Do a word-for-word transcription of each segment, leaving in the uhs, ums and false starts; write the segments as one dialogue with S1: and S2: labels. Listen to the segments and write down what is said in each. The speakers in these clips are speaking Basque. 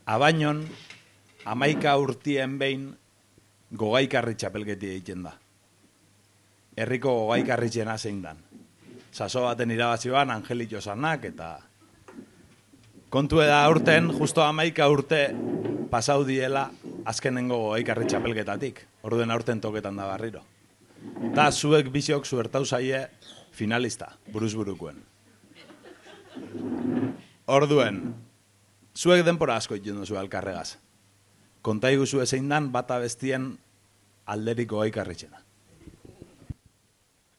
S1: Abainon, hamaika urtien behin gogaikarri txapelketi egiten da. Herriko gogaikarritxena zein dan. Saso baten irabazioan Angelito Sanak eta kontu da urten, justo hamaika urte pasau diela azkenengo gogaikarri txapelketatik. Orduen aurten toketan da barriro. Ta zuek biziok zuertau zaie finalista, buruz burukuen. Orduen, zuek denpora asko iten duzu alkarregaz. Konta iguzu ezein dan bata bestien alderiko gogaikarritxena.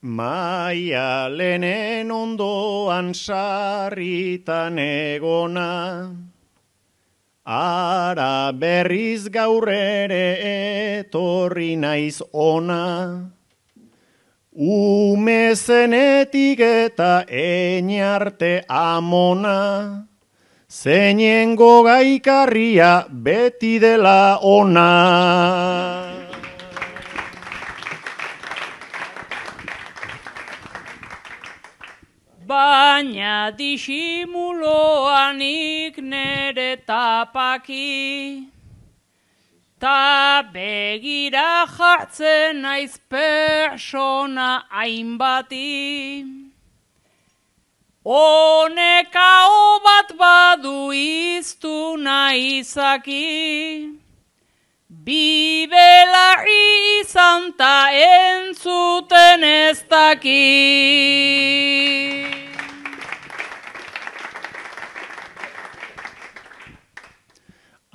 S2: Maialenen ondoan sarritan egona, ara berriz gaur ere etorri naiz ona, ume zenetik eta einarte amona, zeinen gogaikarria beti dela ona.
S3: Baina disimuloanik nere tapaki, ta begira jartzen naiz persona hainbati. Honekao bat badu iztuna izaki, bibelarri izan ta entzuten ez daki.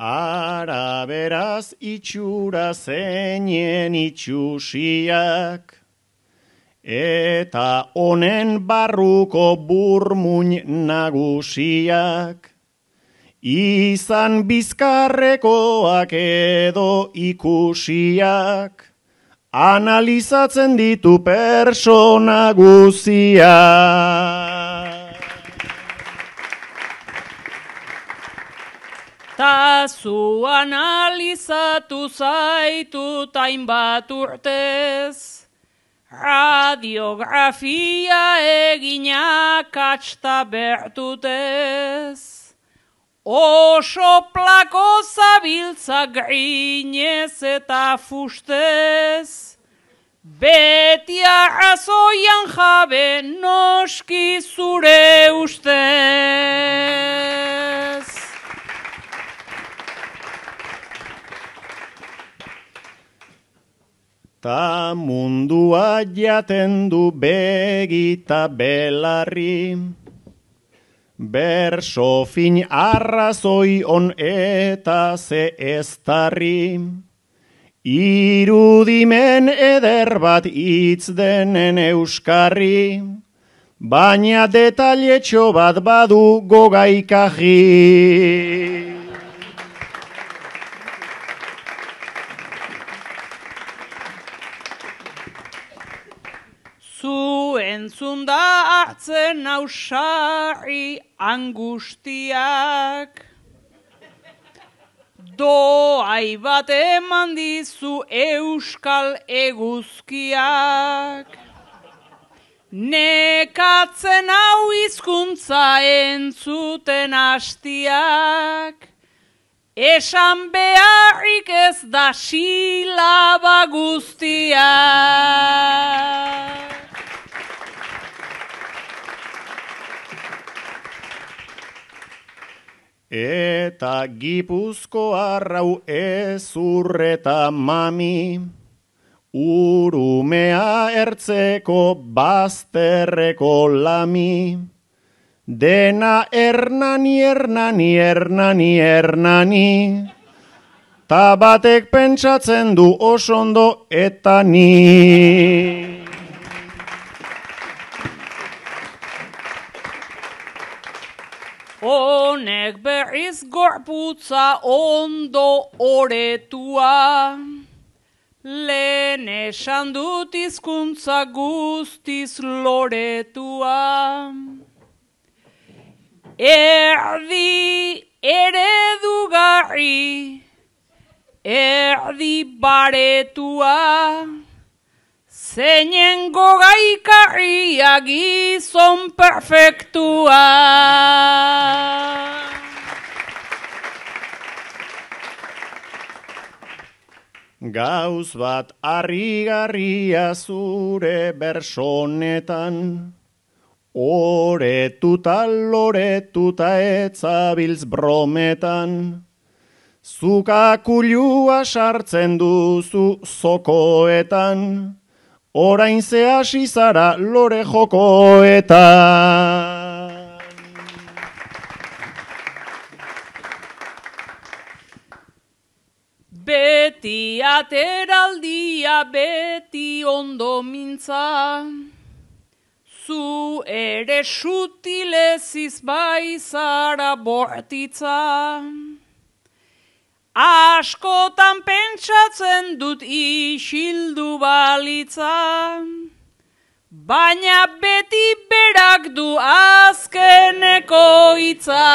S2: Ara beraz itxura zeinen itxusiak, eta honen barruko burmuin nagusiak, izan bizkarrekoak edo ikusiak, analizatzen ditu persona guziak.
S3: Ta zu analizatu zaitut hainbat urtez, radiografia eginak atxta bertutez, oso plako zabiltza grinez eta fustez, beti arrazoian jabe noski zure ustez.
S2: Ta mundua jaten du begita belarri, berso fin arrazoi on eta ze eztarri, irudimen eder bat hitz denen euskarri, baina detailetxo bat badu gogaikarri.
S3: Zu entzunda hartzen ausarri angustiak, doai bat eman dizu euskal eguzkiak, nekatzen hau hizkuntza entzuten hastiak, esan beharrik ez da silaba guztiak.
S2: Eta Gipuzkoar hau ezurreta mami, urumea ertzeko bazterreko lami, dena ernani, ernani, ernani, ernani, ta batek pentsatzen du osondo eta ni.
S3: Honek berriz gorputza ondo oretua, lehen esan dut hizkuntza guztiz loretua. Erdi eredugarri, erdi baretua, zeinen gogaikarria gizon perfektua.
S2: Gauz bat harrigarria zure bersonetan, oretuta loretuta etzabiltz brometan, zuka kulua sartzen duzu zokoetan, orain ze hasi zara lore jokoetan.
S3: Beti ateraldia, beti ondo mintza, zu ere sutileziz bai zara bortitza. Askotan pentsatzen dut isildu balitza, baina beti berak du azkeneko hitza.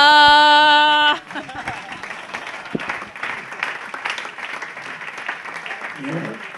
S2: Yeah.